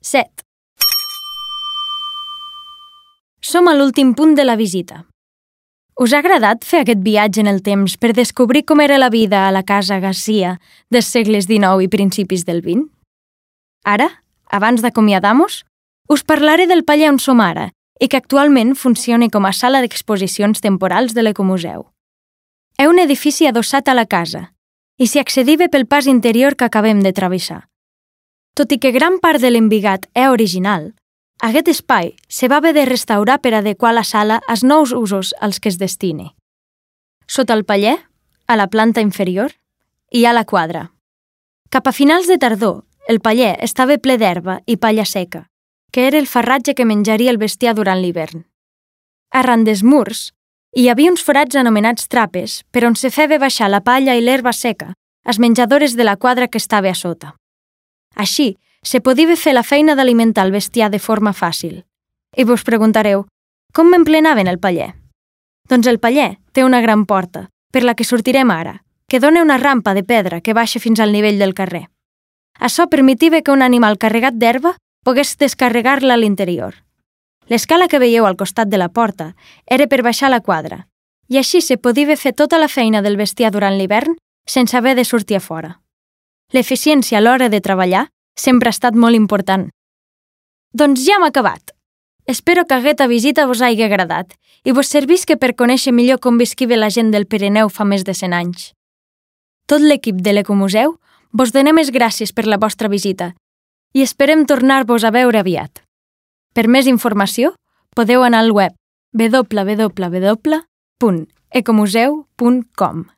7. Som a l'últim punt de la visita. Us ha agradat fer aquest viatge en el temps per descobrir com era la vida a la casa Garcia dels segles XIX i principis del XX? Ara, abans d'acomiadar-nos, us parlaré del paller on som ara i que actualment funciona com a sala d'exposicions temporals de l'Ecomuseu. És un edifici adossat a la casa i s'hi accediva pel pas interior que acabem de travessar. Tot i que gran part de l'embigat és original, aquest espai se va haver de restaurar per adequar la sala als nous usos als que es destini. Sota el paller, a la planta inferior, hi ha la quadra. Cap a finals de tardor, el paller estava ple d'herba i palla seca, que era el farratge que menjaria el bestiar durant l'hivern. Arran dels murs, hi havia uns forats anomenats trapes per on se feia baixar la palla i l'herba seca als menjadores de la quadra que estava a sota. Així, se podia fer la feina d'alimentar el bestiar de forma fàcil. I vos preguntareu, com m'emplenaven el paller? Doncs el paller té una gran porta, per la que sortirem ara, que dona una rampa de pedra que baixa fins al nivell del carrer. Això permetia que un animal carregat d'herba pogués descarregar-la a l'interior. L'escala que veieu al costat de la porta era per baixar la quadra, i així se podia fer tota la feina del bestiar durant l'hivern sense haver de sortir a fora. L'eficiència a l'hora de treballar sempre ha estat molt important. Doncs ja hem acabat. Espero que aquesta visita vos hagi agradat i vos servisca per conèixer millor com visquia la gent del Pirineu fa més de 100 anys. Tot l'equip de l'Ecomuseu vos donem les gràcies per la vostra visita i esperem tornar-vos a veure aviat. Per més informació, podeu anar al web www.ecomuseu.com.